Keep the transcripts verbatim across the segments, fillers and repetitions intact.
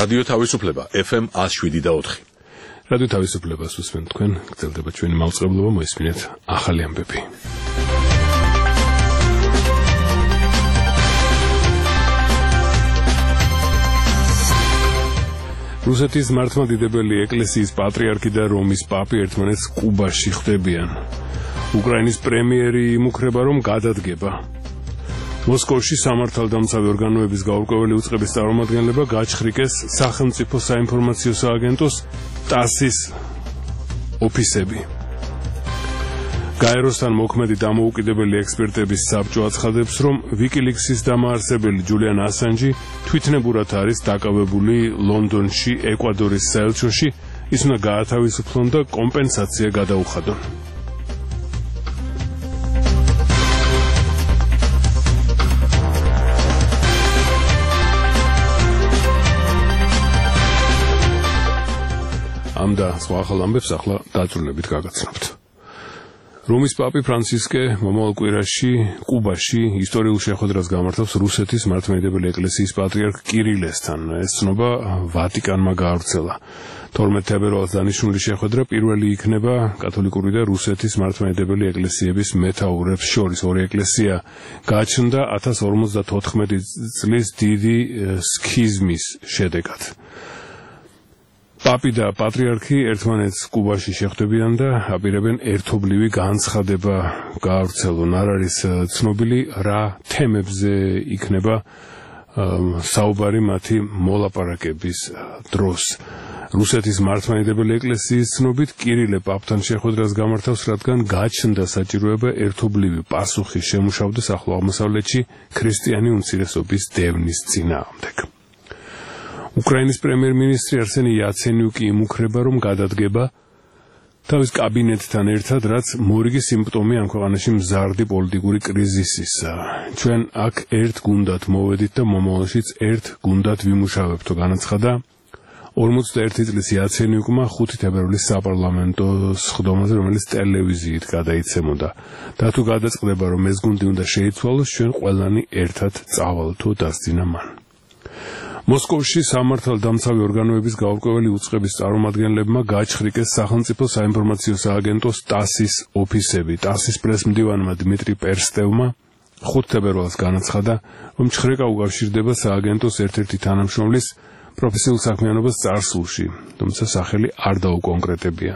რადიო თავისუფლება F M one oh seven და four. რადიო თავისუფლებას უსმენთ თქვენ, გრძელდება ჩვენი მაუწყებლობა, მოისმინეთ ახალი ამბები. რუსეთის მართლმადიდებელი ეკლესიის პატრიარქი და რომის პაპი ერთმანეთს კუბაში ხვდებიან. უკრაინის პრემიერი იმუქრება, რომ გადადგება. მოსკოვში სამართალდამცავი ორგანოების გაურკვეველი უწყების წარმომადგენლება გაჩხრიკეს სახელმწიფო საინფორმაციო სააგენტოს ტასის ოფისები. გაეროსთან მოქმედი დამოუკიდებელი ექსპერტების საბჭო აცხადებს, რომ ვიკილიქსის დამაარსებელი ჯულიან ასანჯი თვითნებურად არის დაკავებული ლონდონში, ეკვადორის საელჩოში, ის უნდა გაათავისუფლონ და კომპენსაცია გადაუხადონ. ამ და სხვა ახალ ამბებს ახლა დაწვრილებით გაგაცნობთ. რომის პაპი ფრანცისკე მომავალ კვირაში კუბაში ისტორიულ შეხვედრას გამართავს რუსეთის მართლმადიდებელი ეკლესიის პატრიარქ კირილესთან. ეს ცნობა ვატიკანმა გაავრცელა. თორმეტ თებერვალს დანიშნული შეხვედრა პირველი იქნება კათოლიკური და რუსეთის მართლმადიდებელი ეკლესიების მეთაურებს შორის. ორი ეკლესია გაჩნდა one thousand forty-four წლის დიდი სქიზმის შედეგად. პაპი და პატრიარქი ერთმანეთს კუბაში შეხვდებიან და აპირებენ ერთობლივი განცხადება გაავრცელონ. არ არის ცნობილი რა თემებზე იქნება საუბარი მათი მოლაპარაკების დროს. რუსეთის მართლმადიდებელი ეკლესიის ცნობით კირილე პაპთან შეხვედრას გამართავს, რადგან გაჩნდა საჭიროება ერთობლივი პასუხი შემუშავდეს ახლო აღმოსავლეთში ქრისტიანი უმცირესობის დევნის წინააღმდეგ. უკრაინის პრემიერ-მინისტრი არსენი იაცენიუკი იმუქრება, რომ გადადგება თავის კაბინეტთან ერთად, რაც მორიგი სიმპტომი ამ ქვეყანაში მზარდი პოლიტიკური კრიზისისა. ჩვენ აქ ერთ გუნდად მოვედით და მომავალშიც ერთ გუნდად ვიმუშავებთო, განაცხადა ორმოცდაერთი წლის იაცენიუკმა ხუთი თებერვლის საპარლამენტო სხდომაზე, რომელიც ტელევიზიით გადაიცემოდა. და თუ გადაწყდება, რომ ეს გუნდი უნდა შეიცვალოს, ჩვენ ყველანი ერთად წავალთო, დასძინა მან. მოსკოვში სამართალდამცავი ორგანოების გაურკვეველი უწყების წარმომადგენლებმა გაჩხრიკეს სახელმწიფო საინფორმაციო სააგენტოს ტასის ოფისები. ტასის პრესმდივანმა დმიტრი პერსტევმა ხუთი თებერვალს განაცხადა, რომ ჩხრეკა უკავშირდება სააგენტოს ერთ-ერთი თანამშრომლის პროფესიულ საქმიანობას წარსულში, თუმცა სახელი არ დაუკონკრეტებია.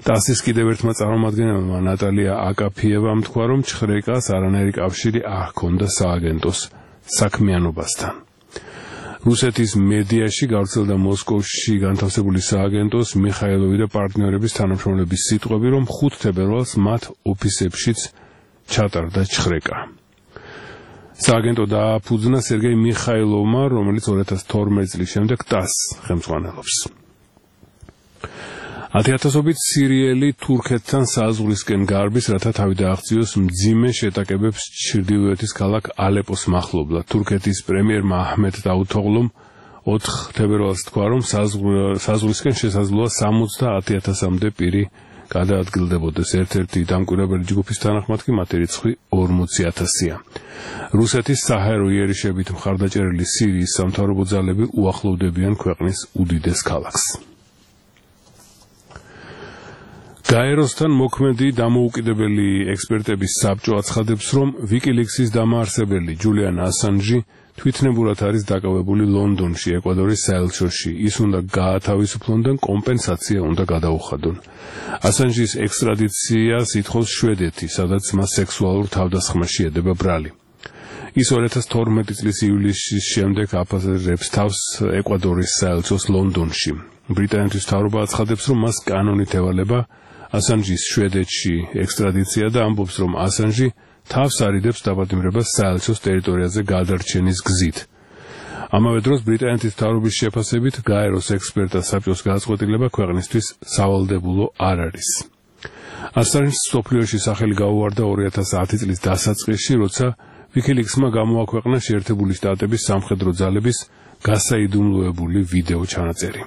ტასის კიდევ ერთმა წარმომადგენელმა ნატალია აკაფიევამ თქვა, რომ ჩხრეკას არანაირი კავშირი არ ჰქონდა სააგენტოს საქმიანობასთან. რუსეთის მედიაში გავრცელდა მოსკოვში განთავსებული სააგენტოს მიხაილოვი და პარტნიორების თანამშრომლების სიტყვები, რომ ხუთი თებერვალს მათ ოფისებშიც ჩატარდა ჩხრეკა. სააგენტო დააფუძნა სერგეი მიხაილოვმა, რომელიც two thousand twelve წლის შემდეგ ტასს ხელმძღვანელობს. ათი-ათასობით სირიელი თურქეთთან საზღვრისკენ გარბის, რათა თავი დააღწიოს მძიმე შეტაკებებს ჩრდილოეთის ქალაქ ალეპოს მახლობლად. თურქეთის პრემიერმა აჰმედ დაუთოღლუმ ოთხ თებერვალს თქვა, რომ საზღვრისკენ შესაძლოა სამოცდაათი ათასამდე პირი გადაადგილდებოდეს. ერთ-ერთი დამკვირვებელი ჯგუფის თანახმად კი მათი რიცხვი ორმოცი ათასია. რუსეთის საჰაერო იერიშებით მხარდაჭერილი სირიის სამთავრობო ძალები უახლოვდებიან ქვეყნის უდიდეს ქალაქს. გაეროსთან მოქმედი დამოუკიდებელი ექსპერტების საბჭო აცხადებს, რომ ვიკილიქსის დამაარსებელი ჯულიან ასანჯი თვითნებურად არის დაკავებული ლონდონში, ეკვადორის საელჩოში. ის უნდა გაათავისუფლონ და კომპენსაცია უნდა გადაუხადონ. ასანჯის ექსტრადიციას ითხოვს შვედეთი, სადაც მას სექსუალურ თავდასხმაში ედება ბრალი. ის two thousand twelve წლის ივლისის შემდეგ აფასებს თავს ეკვადორის საელჩოს ლონდონში. ბრიტანეთის მთავრობა აცხადებს, რომ მას კანონით ევალება ასანჯის შვედეთში ექსტრადიცია და ამბობს, რომ ასანჯი თავს არიდებს დაბადმირებას საელჩოს ტერიტორიაზე გადარჩენის გზით. ამავე დროს ბრიტანეთის მთავრობის შეფასებით გაეროს ექსპერტთა საბჭოს გადაწყვეტილება ქვეყნისთვის სავალდებულო არ არის. ასანჯს მსოფლიოში სახელი გაუვარდა two thousand ten წლის დასაწყისში, როცა ვიკილიქსმა გამოაქვეყნა შეერთებული შტატების სამხედრო ძალების გასაიდუმლოებული ვიდეო ჩანაწერი.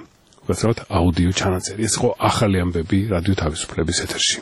გასავთ აუდიო ჩანაწერი. ეს იყო ახალი ამბები რადიო თავისუფლების ეთერში.